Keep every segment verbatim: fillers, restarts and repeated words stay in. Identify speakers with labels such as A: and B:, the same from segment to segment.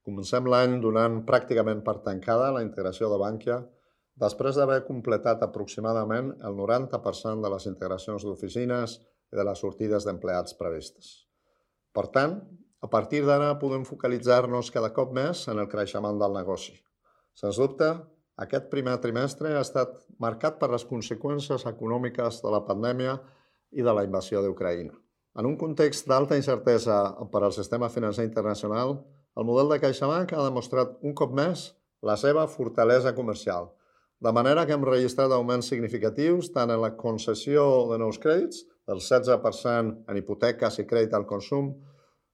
A: Comencem l'any donant pràcticament per tancada la integració de Bankia, després d'haver completat aproximadament el noranta per cent de les integracions d'oficines i de les sortides d'empleats previstes. Per tant, a partir d'ara podem focalitzar-nos cada cop més en el creixement del negoci. Sens dubte, aquest primer trimestre ha estat marcat per les conseqüències econòmiques de la pandèmia i de la invasió d'Ucraïna. En un context d'alta incertesa per al sistema financer internacional, el model de CaixaBank ha demostrat un cop més la seva fortalesa comercial, de manera que hem registrat augments significatius tant en la concessió de nous crèdits, del setze per cent en hipoteques i crèdit al consum,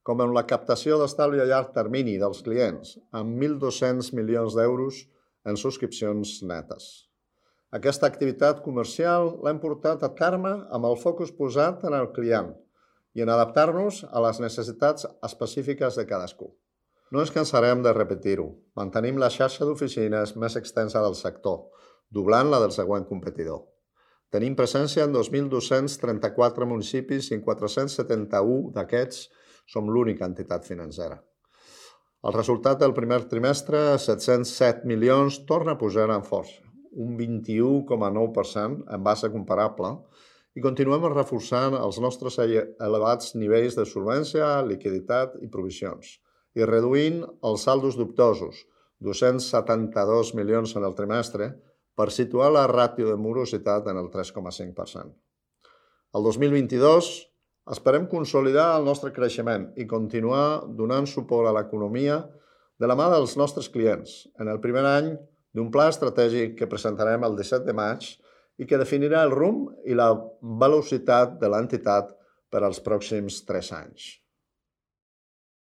A: com en la captació d'estalvi a llarg termini dels clients, amb mil dos-cents milions d'euros en subscripcions netes. Aquesta activitat comercial l'hem portat a terme amb el focus posat en el client i en adaptar-nos a les necessitats específiques de cadascú. No ens cansarem de repetir-ho. Mantenim la xarxa d'oficines més extensa del sector, doblant-la del següent competidor. Tenim presència en dos mil dos-cents trenta-quatre municipis i en quatre-cents setanta-u d'aquests som l'única entitat financera. El resultat del primer trimestre, set-cents set milions, torna a pujar amb força, un vint-i-u coma nou per cent en base comparable, i continuem reforçant els nostres elevats nivells de solvència, liquiditat i provisions, i reduint els saldos dubtosos, dos-cents setanta-dos milions en el trimestre, per situar la ràtio de morositat en el tres coma cinc per cent. El dos mil vint-i-dos esperem consolidar el nostre creixement i continuar donant suport a l'economia de la mà dels nostres clients, en el primer any d'un pla estratègic que presentarem el disset de maig i que definirà el rumb i la velocitat de l'entitat per als pròxims tres anys.